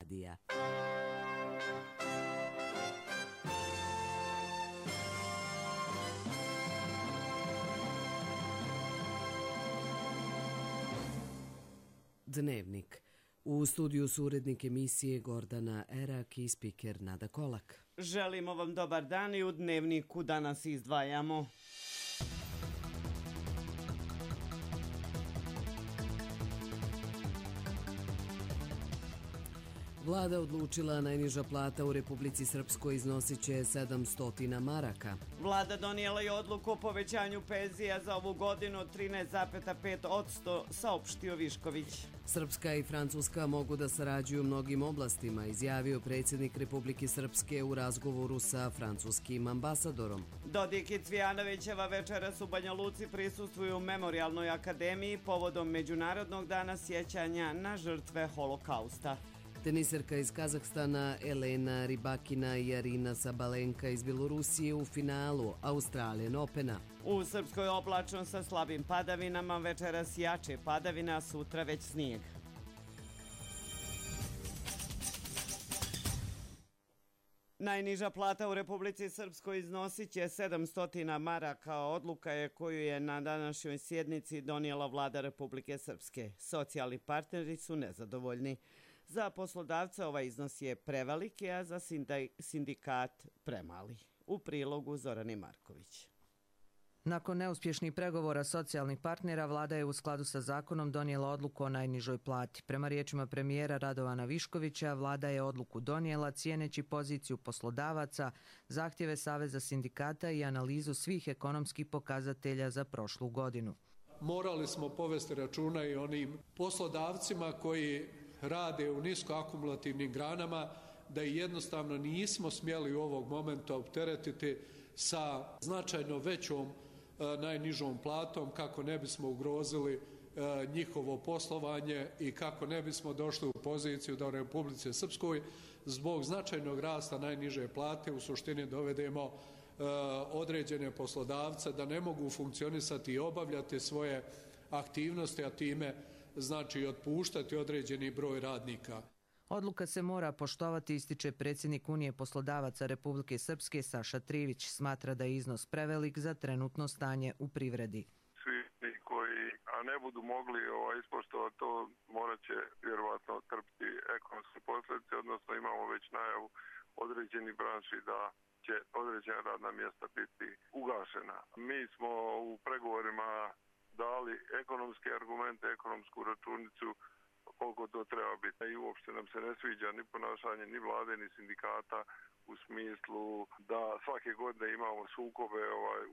radija. Dnevnik. U studiju su urednik emisije Gordana Erak i spiker Nada Kolak. Želimo vam dobar dan i u Dnevniku danas izdvajamo. Vlada odlučila najniža plata u Republici Srpskoj iznosit će 700 maraka. Vlada donijela je odluku o povećanju penzija za ovu godinu od 13,5%, saopštio Višković. Srpska i Francuska mogu da sarađuju u mnogim oblastima, izjavio predsjednik Republike Srpske u razgovoru sa francuskim ambasadorom. Dodik i Cvijanovićeva večeras u Banja Luci prisustvuju u Memorijalnoj akademiji povodom Međunarodnog dana sjećanja na žrtve holokausta. Teniserka iz Kazahstana Elena Rybakina i Arina Sabalenka iz Bjelorusije u finalu Australian Opena. U Srpskoj oblačno sa slabim padavinama, večeras jače padavina, a sutra već snijeg. Najniža plata u Republici Srpskoj iznosit će 700 maraka. Odluka je koju je na današnjoj sjednici donijela vlada Republike Srpske. Socijalni partneri su nezadovoljni. Za poslodavca ovaj iznos je preveliki, a za sindikat premali. U prilogu Zorani Marković. Nakon neuspješnih pregovora socijalnih partnera, vlada je u skladu sa zakonom donijela odluku o najnižoj plati. Prema riječima premijera Radovana Viškovića, vlada je odluku donijela cijeneći poziciju poslodavaca, zahtjeve Saveza sindikata i analizu svih ekonomskih pokazatelja za prošlu godinu. Morali smo povesti računa i onim poslodavcima koji rade u niskoakumulativnim granama, da i jednostavno nismo smjeli u ovog momenta opteretiti sa značajno većom najnižom platom kako ne bismo ugrozili njihovo poslovanje i kako ne bismo došli u poziciju da u Republici Srpskoj zbog značajnog rasta najniže plate u suštini dovedemo određene poslodavce da ne mogu funkcionisati i obavljati svoje aktivnosti, a time znači otpuštati određeni broj radnika. Odluka se mora poštovati, ističe predsjednik Unije poslodavaca Republike Srpske Saša Trivić. Smatra da je iznos prevelik za trenutno stanje u privredi. Svi koji ne budu mogli ispoštovati to, morat će vjerovatno trpiti ekonomske posljedice, odnosno imamo već najavu određenih branši da će određena radna mjesta biti ugašena. Mi smo u pregovorima dali ekonomske argumente, ekonomsku računicu koliko to treba biti. I uopšte nam se ne sviđa ni ponašanje ni vlade ni sindikata u smislu da svake godine imamo sukobe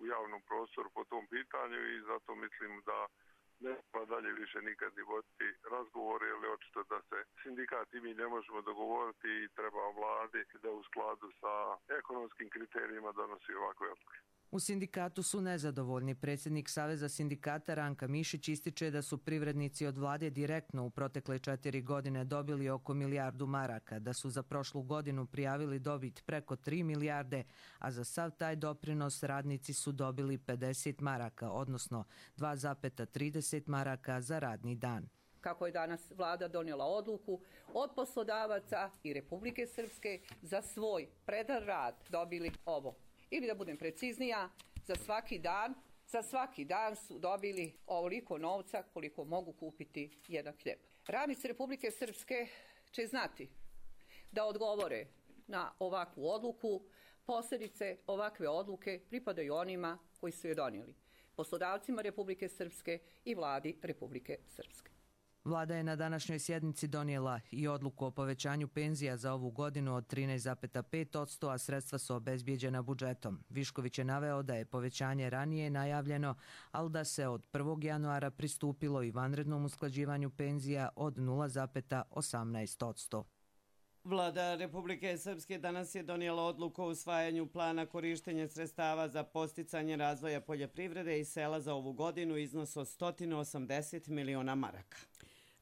u javnom prostoru po tom pitanju i zato mislim da ne treba dalje više nikad ni voditi razgovore, jer je očito da se sindikat i mi ne možemo dogovoriti i treba vladi da u skladu sa ekonomskim kriterijima donosi ovakve odluke. U sindikatu su nezadovoljni. Predsjednik Saveza sindikata Ranka Mišić ističe da su privrednici od vlade direktno u protekle 4 godine dobili oko milijardu maraka, da su za prošlu godinu prijavili dobit preko 3 milijarde, a za sav taj doprinos radnici su dobili 50 maraka, odnosno 2,30 maraka za radni dan. Kako je danas vlada donijela odluku, od poslodavaca i Republike Srpske za svoj predan rad dobili ovo. Ili da budem preciznija, za svaki dan su dobili ovoliko novca koliko mogu kupiti jedan hljeb. Radnici Republike Srpske će znati da odgovore na ovakvu odluku. Posljedice ovakve odluke pripadaju onima koji su je donijeli, poslodavcima Republike Srpske i vladi Republike Srpske. Vlada je na današnjoj sjednici donijela i odluku o povećanju penzija za ovu godinu od 13,5%, a sredstva su obezbijeđena budžetom. Višković je naveo da je povećanje ranije najavljeno, ali da se od 1. januara pristupilo i vanrednom usklađivanju penzija od 0,18%. Vlada Republike Srpske danas je donijela odluku o usvajanju plana korištenja sredstava za podsticanje razvoja poljoprivrede i sela za ovu godinu, iznos od 180 miliona maraka.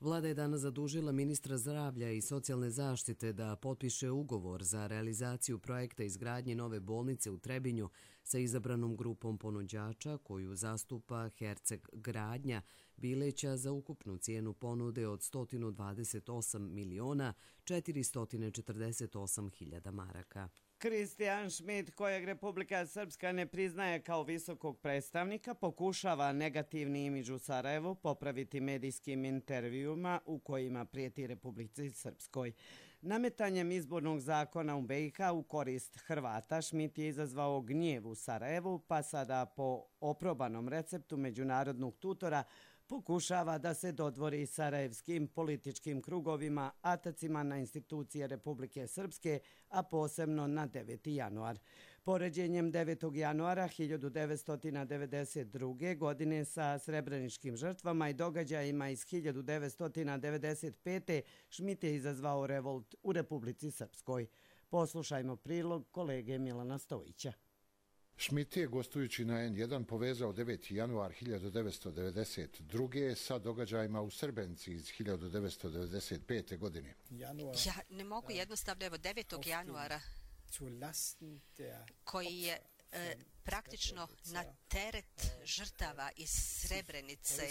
Vlada je danas zadužila ministra zdravlja i socijalne zaštite da potpiše ugovor za realizaciju projekta izgradnje nove bolnice u Trebinju sa izabranom grupom ponuđača koju zastupa Herceg Gradnja, Bileća za ukupnu cijenu ponude od 128.448.000 maraka. Kristijan Šmit, kojeg Republika Srpska ne priznaje kao visokog predstavnika, pokušava negativni imidž u Sarajevu popraviti medijskim intervjuima u kojima prijeti Republici Srpskoj. Nametanjem izbornog zakona u BiH u korist Hrvata, Šmit je izazvao gnjev u Sarajevu, pa sada po oprobanom receptu međunarodnog tutora pokušava da se dodvori sarajevskim političkim krugovima, atacima na institucije Republike Srpske, a posebno na 9. januar. Poređenjem 9. januara 1992. godine sa srebreničkim žrtvama i događajima iz 1995. Šmit je izazvao revolt u Republici Srpskoj. Poslušajmo prilog kolege Milana Stojića. Šmit je, gostujući na N1, povezao 9. januar 1992. sa događajima u Srebrenici iz 1995. godine. Ja ne mogu jednostavno, evo 9. januara, koji je praktično na teret žrtava iz Srebrenice.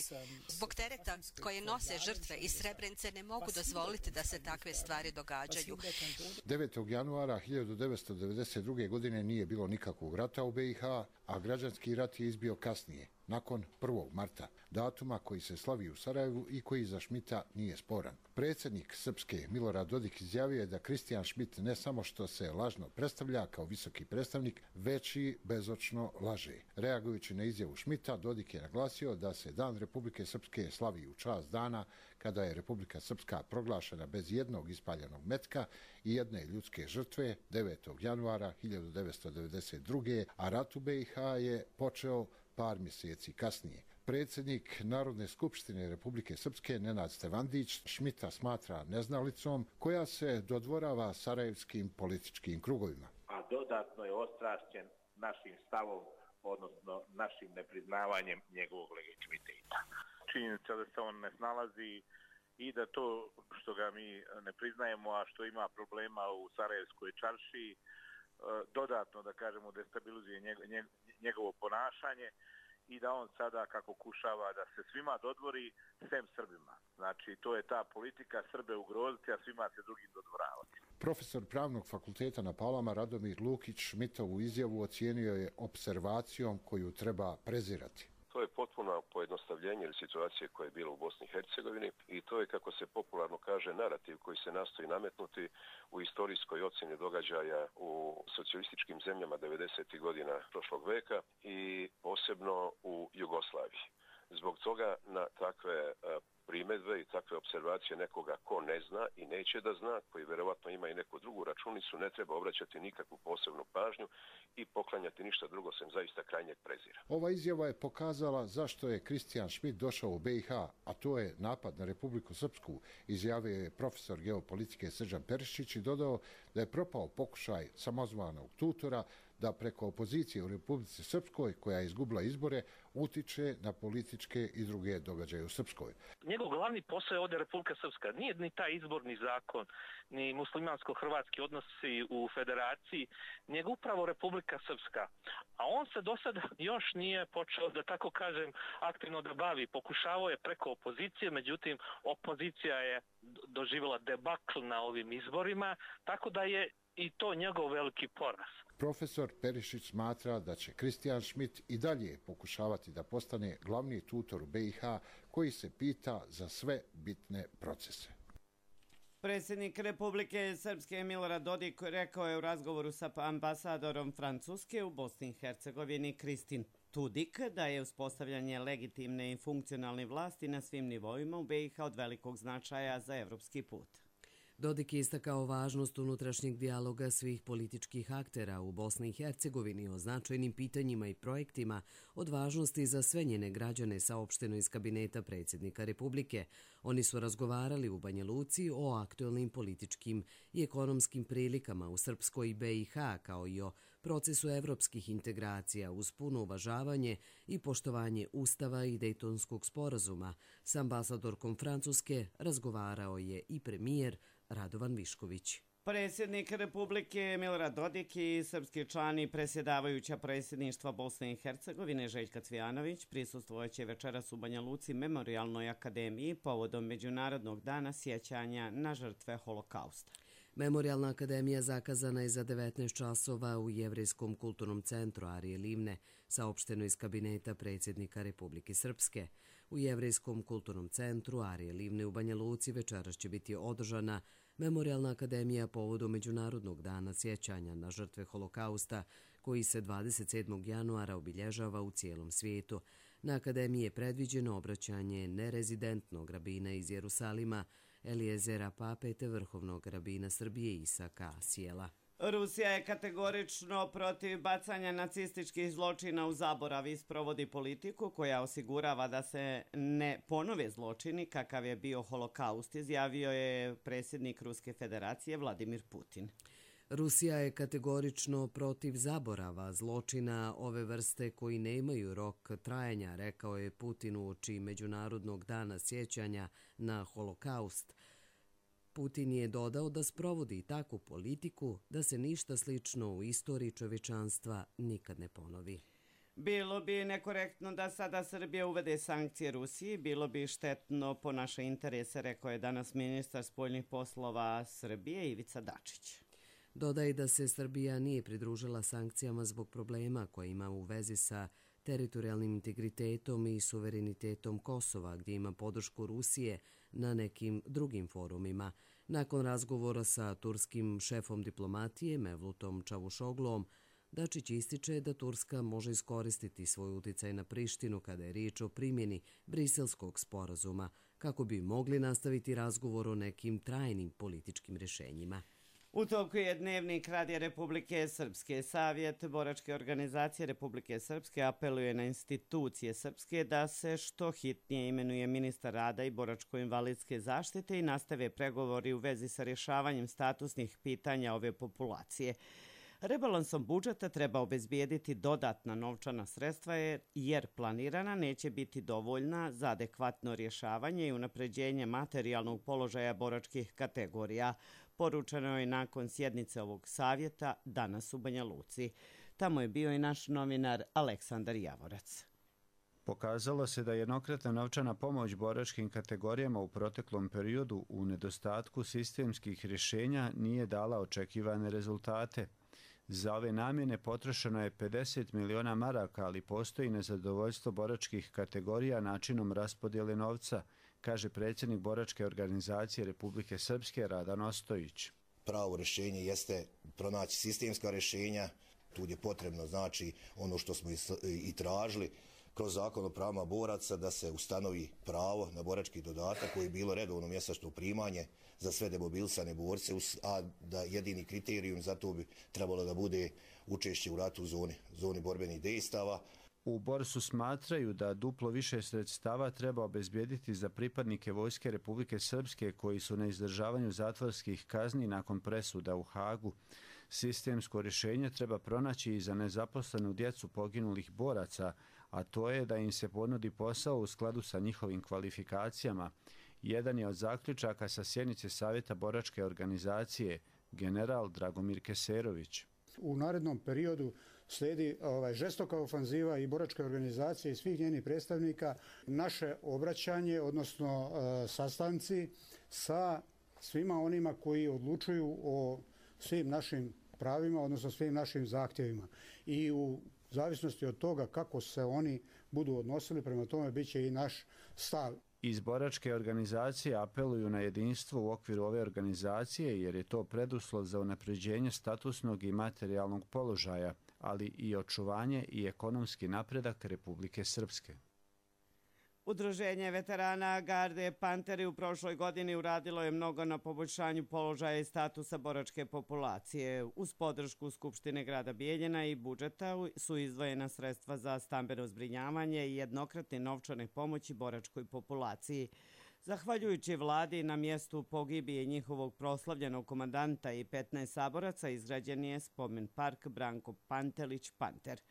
Zbog tereta koje nose žrtve iz Srebrenice ne mogu dozvoliti da se takve stvari događaju. 9. januara 1992. godine nije bilo nikakvog rata u BiH, a građanski rat je izbio kasnije, nakon 1. marta, datuma koji se slavi u Sarajevu i koji za Šmita nije sporan. Predsjednik Srpske Milorad Dodik izjavio je da Kristijan Šmit ne samo što se lažno predstavlja kao visoki predstavnik, već i bezočno laže. Reagujući na izjavu Šmita, Dodik je naglasio da se Dan Republike Srpske slavi u čast dana kada je Republika Srpska proglašena bez jednog ispaljenog metka i jedne ljudske žrtve 9. januara 1992. a rat u BiH je počeo par mjeseci kasnije. Predsjednik Narodne skupštine Republike Srpske Nenad Stevandić Šmita smatra neznalicom koja se dodvorava sarajevskim političkim krugovima. A dodatno je ostrašćen našim stavom, odnosno našim nepriznavanjem njegovog legitimiteta. Činjenica da se on ne snalazi i da to što ga mi ne priznajemo, a što ima problema u Sarajevskoj čaršiji, dodatno, da kažemo, destabilizuje njegovo ponašanje i da on sada kako kušava da se svima dodvori, sem Srbima. Znači, to je ta politika Srbe ugroziti, a svima se drugim dodvoravati. Profesor Pravnog fakulteta na Palama Radomir Lukić Šmitovu izjavu ocijenio je opservacijom koju treba prezirati. To je potpuno pojednostavljenje situacije koja je bila u Bosni i Hercegovini i to je, kako se popularno kaže, narativ koji se nastoji nametnuti u istorijskoj ocjeni događaja u socijalističkim zemljama 90. godina prošlog veka i posebno u Jugoslaviji. Zbog toga na takve primjedbe i takve observacije nekoga ko ne zna i neće da zna, koji vjerovatno ima i neku drugu računicu, ne treba obraćati nikakvu posebnu pažnju i poklanjati ništa drugo sem zaista krajnjeg prezira. Ova izjava je pokazala zašto je Kristijan Šmit došao u BiH, a to je napad na Republiku Srpsku, izjavio je profesor geopolitike Srđan Perišić i dodao da je propao pokušaj samozvanog tutora da preko opozicije u Republici Srpskoj, koja je izgubila izbore, utiče na političke i druge događaje u Srpskoj. Njegov glavni posao je ovdje Republika Srpska. Nije ni taj izborni zakon, ni muslimansko-hrvatski odnosi u federaciji, nego upravo Republika Srpska. A on se do sada još nije počeo, da tako kažem, aktivno da bavi. Pokušavao je preko opozicije, međutim, opozicija je doživjela debakl na ovim izborima, tako da je i to njegov veliki poraz. Profesor Perišić smatra da će Kristijan Šmit i dalje pokušavati da postane glavni tutor u BiH koji se pita za sve bitne procese. Predsjednik Republike Srpske Milorad Dodik rekao je u razgovoru sa ambasadorom Francuske u Bosni i Hercegovini Kristin Tudik da je uspostavljanje legitimne i funkcionalne vlasti na svim nivoima u BiH od velikog značaja za evropski put. Dodik je istakao važnost unutrašnjeg dijaloga svih političkih aktera u Bosni i Hercegovini o značajnim pitanjima i projektima od važnosti za sve njene građane, saopšteno iz kabineta predsjednika Republike. Oni su razgovarali u Banja Luci o aktualnim političkim i ekonomskim prilikama u Srpskoj i BiH, kao i o procesu evropskih integracija uz puno uvažavanje i poštovanje Ustava i Dejtonskog sporazuma. S ambasadorkom Francuske razgovarao je i premijer Radovan Višković. Predsjednik Republike Milorad Dodik i srpski član i predsjedavajuća predsjedništva Bosne i Hercegovine Željka Cvijanović prisustvojeće večeras u Banja Luci Memorijalnoj akademiji povodom Međunarodnog dana sjećanja na žrtve Holokausta. Memorijalna akademija zakazana je za 19 časova u Jevrejskom kulturnom centru Arije Livne, saopšteno iz kabineta predsjednika Republike Srpske. U Jevrejskom kulturnom centru Arije Livne u Banja Luci večeras će biti održana Memorijalna akademija povodom Međunarodnog dana sjećanja na žrtve Holokausta, koji se 27. januara obilježava u cijelom svijetu. Na akademiji je predviđeno obraćanje nerezidentnog rabina iz Jerusalima, Elijezera Pape te vrhovnog rabina Srbije Isaka Asijela. Rusija je kategorično protiv bacanja nacističkih zločina u zaborav i sprovodi politiku koja osigurava da se ne ponove zločini kakav je bio Holokaust, izjavio je predsjednik Ruske federacije Vladimir Putin. Rusija je kategorično protiv zaborava zločina ove vrste koji nemaju rok trajanja, rekao je Putin uoči Međunarodnog dana sjećanja na Holokaust. Putin je dodao da sprovodi takvu politiku da se ništa slično u istoriji čovječanstva nikad ne ponovi. Bilo bi nekorektno da sada Srbija uvede sankcije Rusiji, bilo bi štetno po naše interese, rekao je danas ministar spoljnih poslova Srbije Ivica Dačić. Dodaje da se Srbija nije pridružila sankcijama zbog problema koje ima u vezi sa teritorijalnim integritetom i suverenitetom Kosova, gdje ima podršku Rusije na nekim drugim forumima. Nakon razgovora sa turskim šefom diplomatije Mevlutom Čavušoglom, Dačić ističe da Turska može iskoristiti svoj uticaj na Prištinu kada je riječ o primjeni Briselskog sporazuma, kako bi mogli nastaviti razgovor o nekim trajnim političkim rješenjima. U toku je dnevnik Radija Republike Srpske. Savjet boračke organizacije Republike Srpske apeluje na institucije Srpske da se što hitnije imenuje ministar rada i boračko-invalidske zaštite i nastave pregovori u vezi sa rješavanjem statusnih pitanja ove populacije. Rebalansom budžeta treba obezbijediti dodatna novčana sredstva jer planirana neće biti dovoljna za adekvatno rješavanje i unapređenje materijalnog položaja boračkih kategorija. Poručeno je nakon sjednice ovog savjeta danas u Banja Luci. Tamo je bio i naš novinar Aleksandar Javorac. Pokazalo se da jednokratna novčana pomoć boračkim kategorijama u proteklom periodu u nedostatku sistemskih rješenja nije dala očekivane rezultate. Za ove namjene potrošeno je 50 miliona maraka, ali postoji nezadovoljstvo boračkih kategorija načinom raspodjele novca, kaže predsjednik boračke organizacije Republike Srpske Radan Ostojić. Pravo rješenje jeste pronaći sistemska rješenja, tu je potrebno znači ono što smo i tražili kroz zakon o pravima boraca da se ustanovi pravo na borački dodatak koji je bilo redovno mjesečno primanje za sve demobilisane borce, a da jedini kriterijum za to bi trebalo da bude učešće u ratu u zoni borbenih dejstava. U Borsu smatraju da duplo više sredstava treba obezbijediti za pripadnike Vojske Republike Srpske koji su na izdržavanju zatvorskih kazni nakon presuda u Hagu. Sistemsko rješenje treba pronaći i za nezaposlenu djecu poginulih boraca, a to je da im se ponudi posao u skladu sa njihovim kvalifikacijama. Jedan je od zaključaka sa sjednice Savjeta boračke organizacije, general Dragomir Keserović. U narednom periodu slijedi žestoka ofanziva i boračke organizacije i svih njenih predstavnika. Naše obraćanje, odnosno sastanci sa svima onima koji odlučuju o svim našim pravima, odnosno svim našim zahtjevima. I u zavisnosti od toga kako se oni budu odnosili, prema tome bit će i naš stav. Iz boračke organizacije apeluju na jedinstvo u okviru ove organizacije jer je to preduslov za unapređenje statusnog i materijalnog položaja, ali i očuvanje i ekonomski napredak Republike Srpske. Udruženje veterana Garde Panteri u prošloj godini uradilo je mnogo na poboljšanju položaja i statusa boračke populacije. Uz podršku Skupštine grada Bijeljina i budžeta su izdvojena sredstva za stambeno zbrinjavanje i jednokratne novčane pomoći boračkoj populaciji. Zahvaljujući vladi na mjestu pogibije njihovog proslavljenog komandanta i 15 saboraca izgrađen je spomen park Branko Pantelić Panter.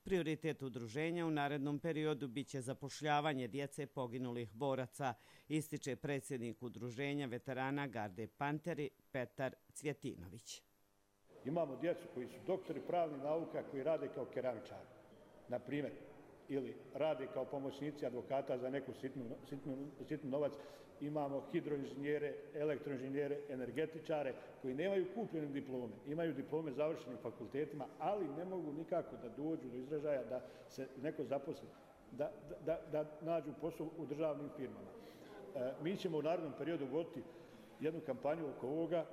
Prioritet udruženja u narednom periodu biće zapošljavanje djece poginulih boraca, ističe predsjednik udruženja veterana Garde Panteri Petar Cvjetinović. Imamo djecu koji su doktori pravnih nauka koji rade kao keramičari, na primjer, ili rade kao pomoćnici advokata za neku sitnu novac. Imamo hidroinženjere, elektroinženjere, energetičare koji nemaju kupljene diplome, imaju diplome završenim fakultetima, ali ne mogu nikako da dođu do izražaja da se neko zaposli, da nađu posao u državnim firmama. Mi ćemo u narednom periodu voditi jednu kampanju oko ovoga.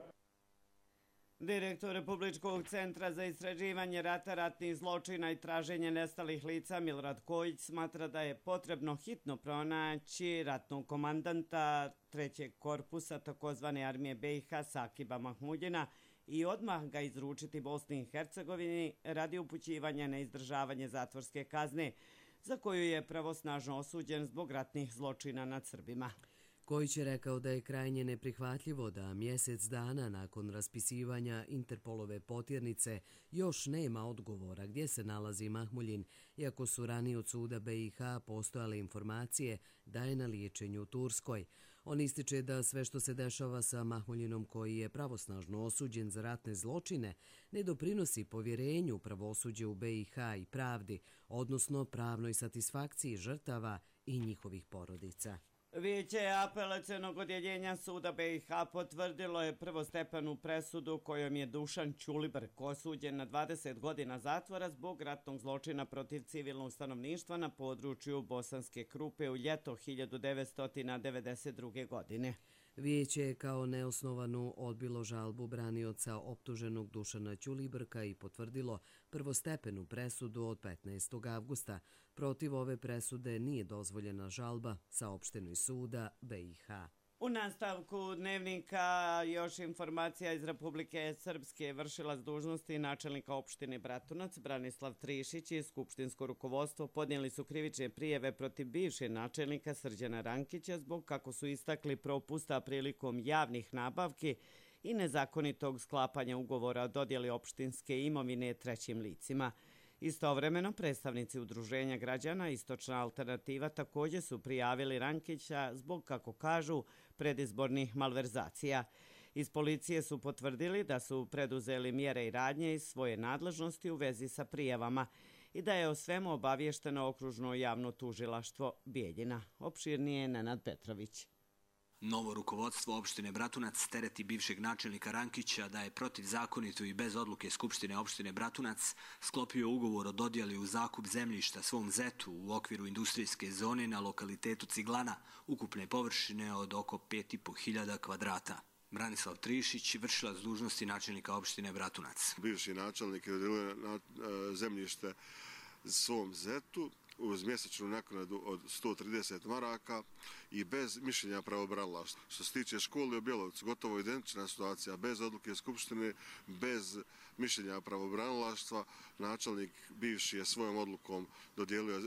Direktor Republičkog centra za istraživanje rata, ratnih zločina i traženje nestalih lica Milorad Kojić smatra da je potrebno hitno pronaći ratnog komandanta 3. korpusa takozvane armije BiH Sakiba Mahmudjina i odmah ga izručiti Bosni i Hercegovini radi upućivanja na izdržavanje zatvorske kazne, za koju je pravosnažno osuđen zbog ratnih zločina nad Srbima. Kojić je rekao da je krajnje neprihvatljivo da mjesec dana nakon raspisivanja Interpolove potjernice još nema odgovora gdje se nalazi Mahmuljin, iako su ranije od suda BiH postojale informacije da je na liječenju u Turskoj. On ističe da sve što se dešava sa Mahmuljinom, koji je pravosnažno osuđen za ratne zločine, ne doprinosi povjerenju pravosuđe u BiH i pravdi, odnosno pravnoj satisfakciji žrtava i njihovih porodica. Vijeće apelacionog odjeljenja suda BiH potvrdilo je prvostepenu presudu kojom je Dušan Ćulibrk osuđen na 20 godina zatvora zbog ratnog zločina protiv civilnog stanovništva na području Bosanske Krupe u ljeto 1992. godine. Vijeće je kao neosnovanu odbilo žalbu branioca optuženog Dušana Ćulibrka i potvrdilo prvostepenu presudu od 15. avgusta. Protiv ove presude nije dozvoljena žalba, saopšteno iz suda BiH. U nastavku dnevnika još informacija iz Republike Srpske. Vršilac dužnosti načelnika opštine Bratunac Branislav Trišić i skupštinsko rukovodstvo podnijeli su krivične prijave protiv bivšeg načelnika Srđana Rankića zbog, kako su istakli, propusta prilikom javnih nabavki i nezakonitog sklapanja ugovora o dodjeli opštinske imovine trećim licima. Istovremeno, predstavnici udruženja građana Istočna alternativa također su prijavili Rankića zbog, kako kažu, predizbornih malverzacija. Iz policije su potvrdili da su preduzeli mjere i radnje iz svoje nadležnosti u vezi sa prijavama i da je o svemu obavješteno okružno javno tužilaštvo Bijeljina. Opširnije je Nenad Petrović. Novo rukovodstvo opštine Bratunac tereti bivšeg načelnika Rankića da je protivzakonito i bez odluke Skupštine opštine Bratunac sklopio ugovor o dodjeli u zakup zemljišta svom zetu u okviru industrijske zone na lokalitetu Ciglana, ukupne površine od oko 5.500 kvadrata. Branislav Trišić, vršilac dužnosti načelnika opštine Bratunac. Bivši načelnik je dodjelio zemljište svom zetu uz mjesečnu naknadu od 130 maraka i bez mišljenja pravobranilaštva. Što se tiče škole u Bjelovcu, gotovo identična situacija, bez odluke Skupštine, bez mišljenja pravobranilaštva. Načelnik bivši je svojom odlukom dodijelio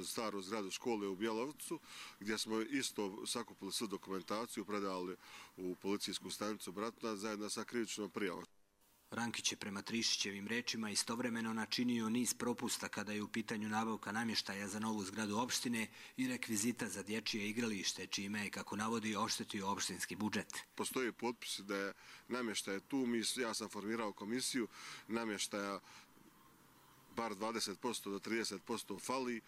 staru zgradu škole u Bjelovcu, gdje smo isto sakupili svu dokumentaciju, predali u policijsku stanicu Bratunac zajedno sa krivičnom prijavom. Rankić je prema Trišićevim rečima istovremeno načinio niz propusta kada je u pitanju nabavka namještaja za novu zgradu opštine i rekvizita za dječje igralište, čime je, kako navodi, oštetio opštinski budžet. Postoji potpis da je namještaj tu, ja sam formirao komisiju, namještaja bar 20% do 30% fali.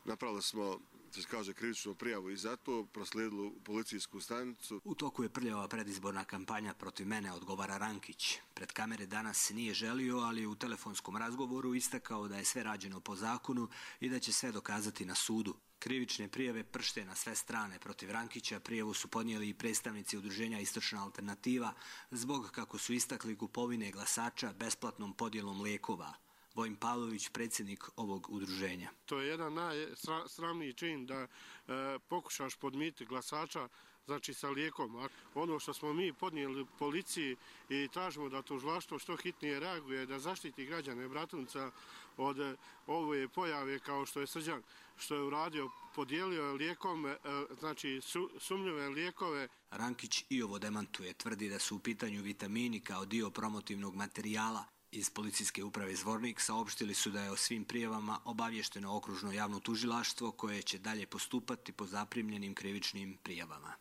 Napravili smo, se kaže, krivičnu prijavu i zato proslijedili policijsku stanicu. U toku je prljava predizborna kampanja protiv mene, odgovara Rankić. Pred kamere danas nije želio, ali u telefonskom razgovoru istakao da je sve rađeno po zakonu i da će sve dokazati na sudu. Krivične prijave pršte na sve strane protiv Rankića. Prijavu su podnijeli i predstavnici udruženja Istočna alternativa zbog, kako su istakli, kupovine glasača besplatnom podjelom lijekova. Vojin Pavlović, predsjednik ovog udruženja. To je jedan najsramniji čin da pokušaš podmititi glasača, znači sa lijekom. Ono što smo mi podnijeli policiji i tražimo da tužilaštvo što hitnije reaguje, da zaštiti građane Bratunca od ove pojave kao što je Srđan, što je uradio, podijelio lijekom, znači sumnjive lijekove. Rankić i ovo demantuje, tvrdi da su u pitanju vitamini kao dio promotivnog materijala. Iz policijske uprave Zvornik saopštili su da je o svim prijavama obavješteno okružno javno tužilaštvo koje će dalje postupati po zaprimljenim krivičnim prijavama.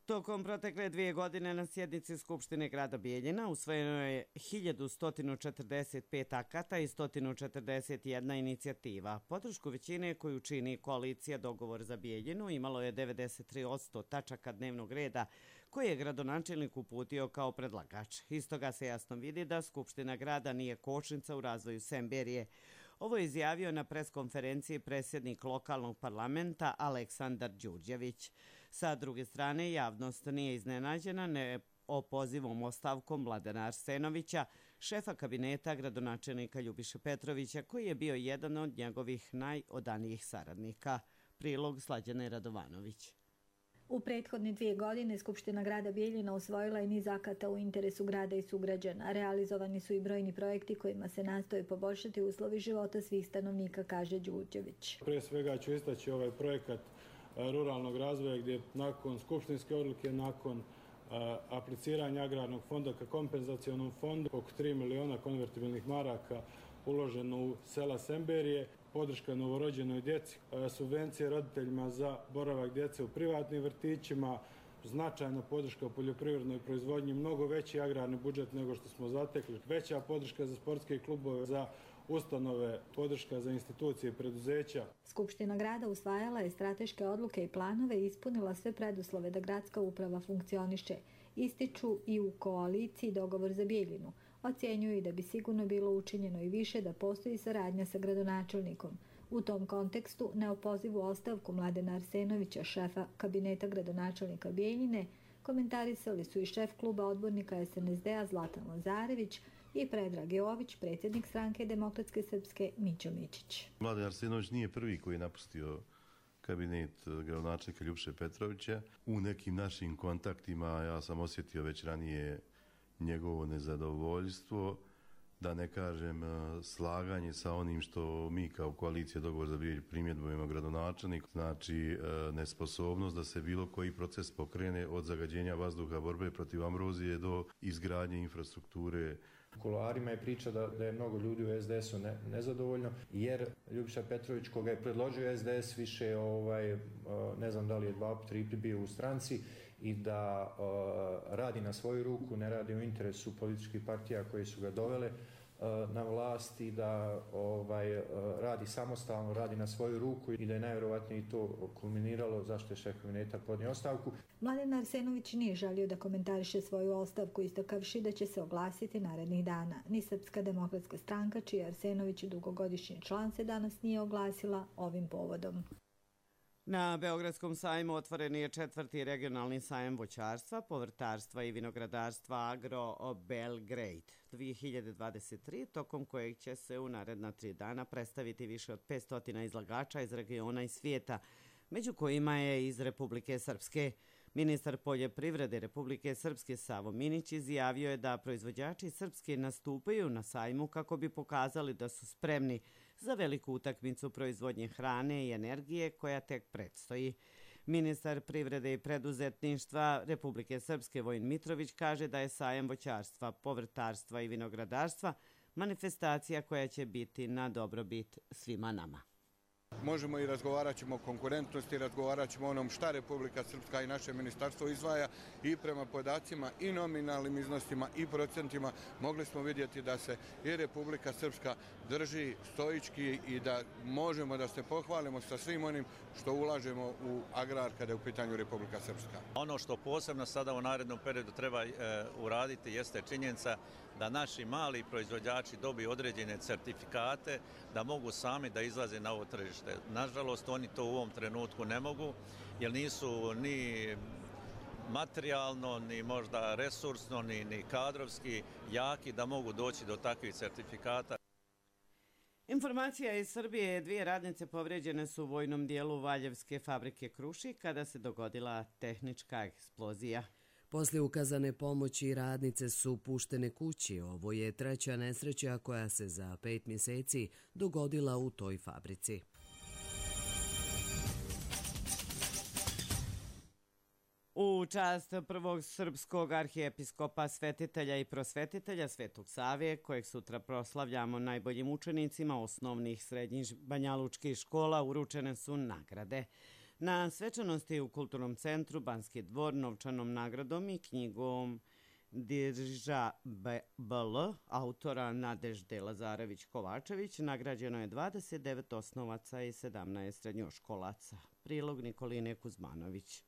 Tokom protekle 2 godine na sjednici Skupštine grada Bijeljina usvojeno je 1145 akata i 141 inicijativa. Podršku većine koju čini koalicija Dogovor za Bijeljinu imalo je 93% tačaka dnevnog reda koje je gradonačelnik uputio kao predlagač. Iz toga se jasno vidi da Skupština grada nije kočnica u razvoju Semberije. Ovo je izjavio na preskonferenciji predsjednik lokalnog parlamenta Aleksandar Đurđević. Sa druge strane, javnost nije iznenađena opozivom ostavkom Mladena Arsenovića, šefa kabineta gradonačelnika Ljubiše Petrovića, koji je bio jedan od njegovih najodanijih saradnika. Prilog Slađane Radovanović. U prethodne 2 godine Skupština grada Bijeljina usvojila je niz akata u interesu grada i sugrađana. Realizovani su i brojni projekti kojima se nastoje poboljšati uslovi života svih stanovnika, kaže Đurđević. Prije svega ću istaći ovaj projekat ruralnog razvoja gdje nakon skupštinske odluke, nakon apliciranja agrarnog fonda ka kompenzacionom fondu, oko 3 miliona konvertibilnih maraka uloženo u sela Semberije, podrška novorođenoj djeci, subvencije roditeljima za boravak djece u privatnim vrtićima, značajna podrška u poljoprivrednoj proizvodnji, mnogo veći agrarni budžet nego što smo zatekli, veća podrška za sportske klubove, za ustanove, podrška za institucije i preduzeća. Skupština grada usvajala je strateške odluke i planove i ispunila sve preduslove da gradska uprava funkcioniše. Ističu i u koaliciji Dogovor za Bijeljinu. Ocjenjuju i da bi sigurno bilo učinjeno i više da postoji saradnja sa gradonačelnikom. U tom kontekstu neopozivu ostavku Mladena Arsenovića, šefa kabineta gradonačelnika Bijeljine, komentarisali su i šef kluba odbornika SNSD-a Zlatan Lazarević i Predrag Jović, predsjednik stranke Demokratske srpske Mićo Mičić. Mladen Arsenović nije prvi koji je napustio kabinet gradonačelnika Ljubiše Petrovića. U nekim našim kontaktima ja sam osjetio već ranije njegovo nezadovoljstvo, da ne kažem slaganje sa onim što mi kao koalicija Dogovor za Bijeljinu primjedbujemo gradonačelnik, znači nesposobnost da se bilo koji proces pokrene od zagađenja vazduha, borbe protiv ambrozije do izgradnje infrastrukture. U kuloarima je priča da je mnogo ljudi u SDS-u nezadovoljno, jer Ljubiša Petrović, koga je predložio SDS, više, ne znam da li je 2-3 bio u stranci, i da radi na svoju ruku, ne radi u interesu političkih partija koje su ga dovele na vlast i da radi samostalno, radi na svoju ruku i da je najvjerovatnije to kulminiralo zašto je šef kabineta podnio ostavku. Mladen Arsenović nije želio da komentariše svoju ostavku, istakavši da će se oglasiti narednih dana. Ni Srpska demokratska stranka, čiji je Arsenović dugogodišnji član, se danas nije oglasila ovim povodom. Na Beogradskom sajmu otvoren je 4. regionalni sajam voćarstva, povrtarstva i vinogradarstva Agro Belgrade 2023, tokom kojeg će se u naredna 3 dana predstaviti više od 500 izlagača iz regiona i svijeta, među kojima je iz Republike Srpske. Ministar poljoprivrede Republike Srpske Savo Minić izjavio je da proizvođači Srpske nastupaju na sajmu kako bi pokazali da su spremni za veliku utakmicu proizvodnje hrane i energije koja tek predstoji. Ministar privrede i preduzetništva Republike Srpske Vojin Mitrović kaže da je sajam voćarstva, povrtarstva i vinogradarstva manifestacija koja će biti na dobrobit svima nama. Možemo i razgovarat ćemo o konkurentnosti, razgovarat ćemo o onom šta Republika Srpska i naše ministarstvo izdvaja i prema podacima i nominalnim iznosima i procentima mogli smo vidjeti da se i Republika Srpska drži stoički i da možemo da se pohvalimo sa svim onim što ulažemo u agrar kada je u pitanju Republika Srpska. Ono što posebno sada u narednom periodu treba uraditi jeste činjenica da naši mali proizvođači dobiju određene certifikate da mogu sami da izlaze na ovo tržište. Nažalost, oni to u ovom trenutku ne mogu, jer nisu ni materijalno, ni možda resursno, ni kadrovski jaki da mogu doći do takvih certifikata. Informacija iz Srbije: 2 radnice povrijeđene su u vojnom dijelu Valjevske fabrike Krušik kada se dogodila tehnička eksplozija. Poslije ukazane pomoći radnice su puštene kući. Ovo je 3. nesreća koja se za 5 mjeseci dogodila u toj fabrici. U čast prvog srpskog arhijepiskopa, svetitelja i prosvetitelja Svetog Savije, kojeg sutra proslavljamo najboljim učenicima osnovnih srednjih banjalučkih škola, uručene su nagrade. Na svečanosti u Kulturnom centru Banski dvor novčanom nagradom i knjigom Dirža BL, autora Nadežde Lazarević-Kovačević, nagrađeno je 29 osnovaca i 17 srednjoškolaca. Prilog Nikoline Kuzmanović.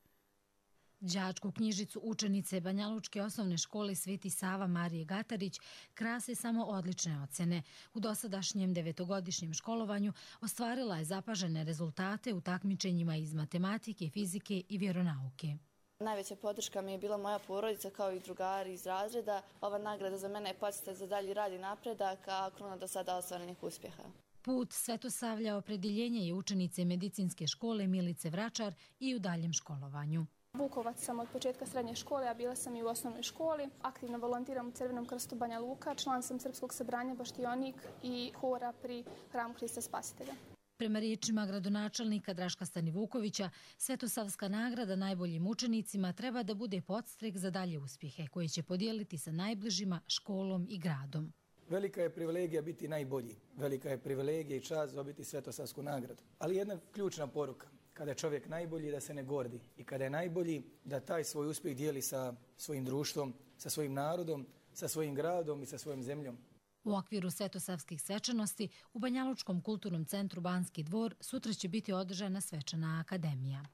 Đačku knjižicu učenice Banjalučke osnovne škole Sveti Sava Marije Gatarić krase samo odlične ocjene. U dosadašnjem 9-godišnjem školovanju ostvarila je zapažene rezultate u takmičenjima iz matematike, fizike i vjeronauke. Najveća podrška mi je bila moja porodica kao i drugari iz razreda. Ova nagrada za mene je podsjetnik za dalji rad i napredak, a kruna do sada ostvarenih uspjeha. Put Svetosavlja opredjeljenje je učenice medicinske škole Milice Vračar i u daljem školovanju. Vukovac sam od početka srednje škole, a bila sam i u osnovnoj školi. Aktivno volontiram u Crvenom krstu Banja Luka, član sam Srpskog sabranja Baštionik i hora pri Hramu Hrista Spasitelja. Prema riječima gradonačelnika Draška Stanivukovića, Svetosavska nagrada najboljim učenicima treba da bude podstrek za dalje uspjehe koje će podijeliti sa najbližima, školom i gradom. Velika je privilegija biti najbolji. Velika je privilegija i čast dobiti Svetosavsku nagradu. Ali jedna ključna poruka. Kada je čovjek najbolji, da se ne gordi. I kada je najbolji, da taj svoj uspjeh dijeli sa svojim društvom, sa svojim narodom, sa svojim gradom i sa svojom zemljom. U okviru svetosavskih svečanosti u Banjalučkom kulturnom centru Banski dvor sutra će biti održana svečana akademija.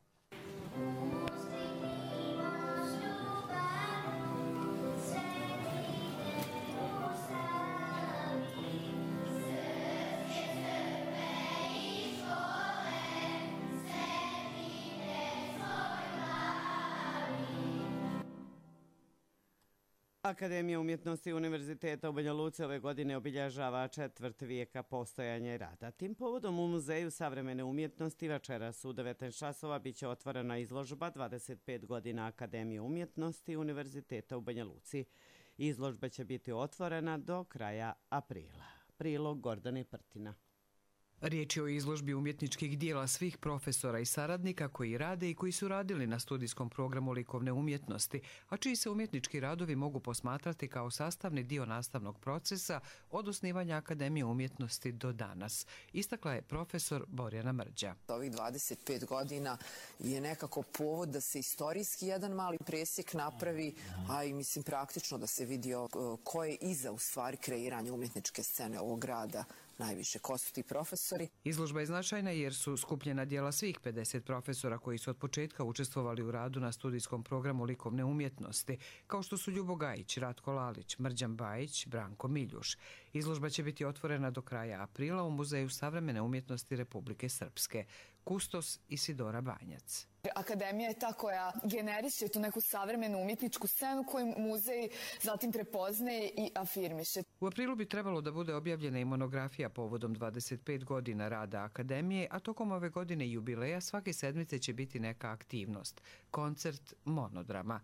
Akademija umjetnosti Univerziteta u Banja Luci ove godine obilježava 4. vijeka postojanja i rada. Tim povodom u Muzeju savremene umjetnosti večeras u 19 časova biće otvorena izložba 25 godina Akademije umjetnosti Univerziteta u Banja Luci. Izložba će biti otvorena do kraja aprila. Prilog Gordane Prtina. Riječ je o izložbi umjetničkih dijela svih profesora i saradnika koji rade i koji su radili na studijskom programu likovne umjetnosti, a čiji se umjetnički radovi mogu posmatrati kao sastavni dio nastavnog procesa od osnivanja Akademije umjetnosti do danas, istakla je profesor Borjana Mrđa. Ovih 25 godina je nekako povod da se istorijski jedan mali presjek napravi, a i mislim praktično da se vidi ko je iza u stvari kreiranja umjetničke scene ovog grada. Najviše, ko su ti profesori? Izložba je značajna jer su skupljena dijela svih 50 profesora koji su od početka učestvovali u radu na studijskom programu likovne umjetnosti, kao što su Ljubo Gajić, Ratko Lalić, Mrđan Bajić, Branko Miljuš. Izložba će biti otvorena do kraja aprila u Muzeju savremene umjetnosti Republike Srpske. Kustos Isidora Banjac. Akademija je ta koja generiše tu neku savremenu umjetničku scenu koju muzej zatim prepoznaje i afirmiše. U aprilu bi trebalo da bude objavljena i monografija povodom 25 godina rada Akademije, a tokom ove godine jubileja svake sedmice će biti neka aktivnost, koncert monodrama.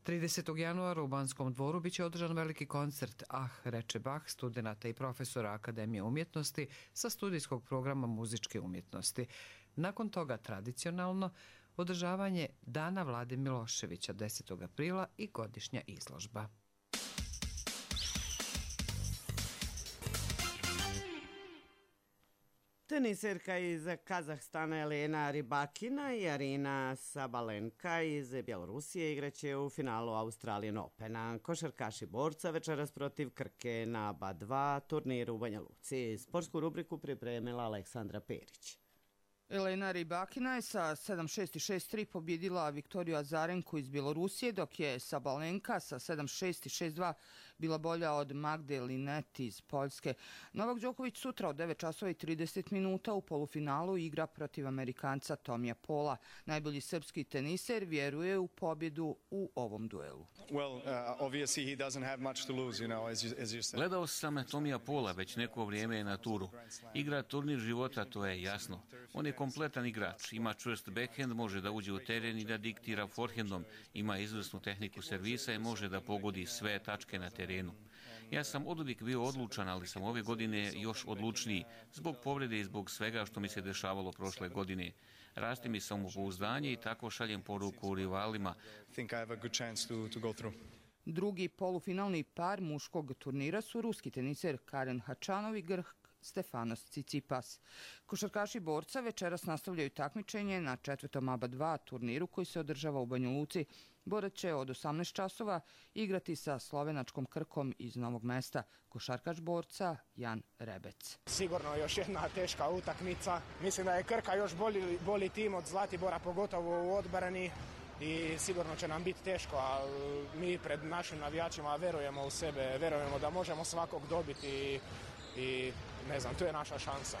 30. januara u Banskom dvoru biće održan veliki koncert reče Bach, studenata i profesora Akademije umjetnosti sa studijskog programa muzičke umjetnosti. Nakon toga tradicionalno održavanje Dana Vlade Miloševića 10. aprila i godišnja izložba. Teniserka iz Kazahstana Elena Rybakina i Arina Sabalenka iz Bjelorusije igraće u finalu Australian Opena. Košarkaši borca večeras protiv Krke na BA2 turniru u Banja Luci. Sportsku rubriku pripremila Aleksandra Perić. Elena Rybakina je sa 7-6 i 6-3 pobjedila Viktoriju Azarenku iz Bjelorusije, dok je Sabalenka sa 7-6 i 6-2 bila bolja od Magde Linet iz Poljske. Novak Đoković sutra od 9:30 u polufinalu igra protiv Amerikanca Tomija Pola. Najbolji srpski teniser vjeruje u pobjedu u ovom duelu. Gledao sam Tomija Pola već neko vrijeme je na turu. Igra turnir života, to je jasno. On je kompletan igrač, ima čvrst backhand, može da uđe u teren i da diktira forehandom, ima izvrsnu tehniku servisa i može da pogodi sve tačke na terenu. Ja sam oduvijek bio odlučan, ali sam ove godine još odlučniji, zbog povrede i zbog svega što mi se dešavalo prošle godine. Rasti mi samopouzdanje i tako šaljem poruku rivalima. Drugi polufinalni par muškog turnira su ruski teniser Karen Hačanov i Grk Stefanos Tsitsipas. Košarkaši borca večeras nastavljaju takmičenje na 4. ABA 2 turniru koji se održava u Banja Luci. Borac će od 18 časova igrati sa slovenačkom Krkom iz Novog Mesta. Košarkaš borca Jan Rebec. Sigurno još jedna teška utakmica. Mislim da je Krka još bolji tim od Zlatibora, pogotovo u odbrani. I sigurno će nam biti teško, ali mi pred našim navijačima verujemo u sebe, verujemo da možemo svakog dobiti i ne znam, tu je naša šansa.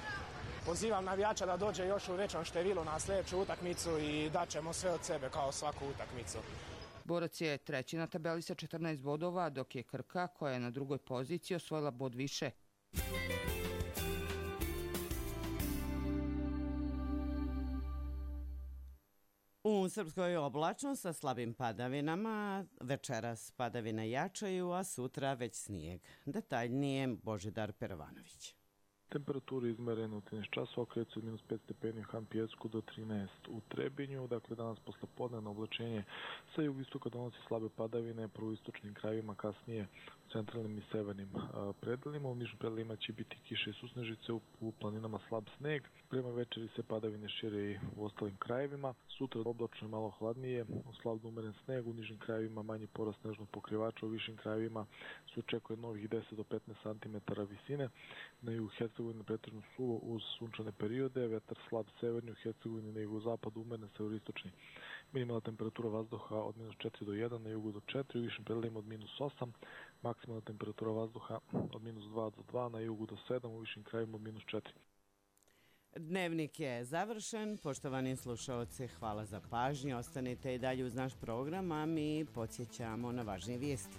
Pozivam navijača da dođe još u većom številu na sljedeću utakmicu i daćemo sve od sebe kao svaku utakmicu. Borac je treći na tabeli sa 14 bodova, dok je Krka, koja je na drugoj poziciji, osvojila bod više. U Srpskoj oblačno sa slabim padavinama, večeras padavine jačaju, a sutra već snijeg. Detaljnije Božidar Perovanović. Temperaturi izmerene u 13 časova kreću od -5 stepeni u Han Pjesku do 13 u Trebinju. Dakle, danas poslepodnevno oblačenje sa jugoistoka donosi slabe padavine, prvo u istočnim krajevima, kasnije u centralnim i severnim predelima. U nižim predelima će biti kiše i susnežice, u planinama slab sneg. Prema večeri se padavine šire i u ostalim krajevima. Sutra oblačno je malo hladnije, slabno umeren sneg, u nižim krajevima manji porast snežnog pokrivača, u višim krajevima se očekuje novih 10 do 15 cm visine. Na jugu Hercegovine pretežno suvo uz sunčane periode, vetar slab severni u Hercegovini, na jugozapadu umeren severistočni. Minimalna temperatura vazduha od -4 do 1, na jugu do 4, u višim predelima od -8, maksimalna temperatura vazduha od -2 do 2, na jugu do 7, u višim krajevima od -4. Dnevnik je završen. Poštovani slušalci, hvala za pažnju. Ostanite i dalje uz naš program, a mi podsjećamo na važnije vijesti.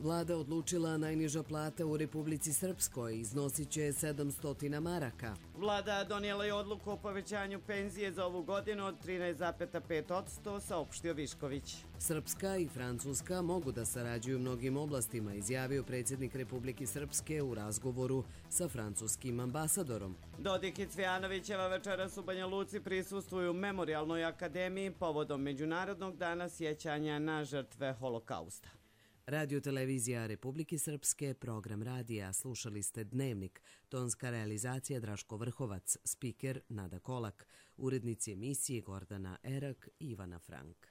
Vlada odlučila najniža plata u Republici Srpskoj iznosit će 700 maraka. Vlada donijela je odluku o povećanju penzije za ovu godinu od 13,5%, saopštio Višković. Srpska i Francuska mogu da sarađuju u mnogim oblastima, izjavio predsjednik Republike Srpske u razgovoru sa francuskim ambasadorom. Dodik i Cvijanovićeva večeras u Banja Luci prisustvuju Memorijalnoj akademiji povodom Međunarodnog dana sjećanja na žrtve holokausta. Radio-televizija Republike Srpske, program radija, slušali ste Dnevnik, tonska realizacija Draško Vrhovac, spiker Nada Kolak, urednici emisije Gordana Erak i Ivana Frank.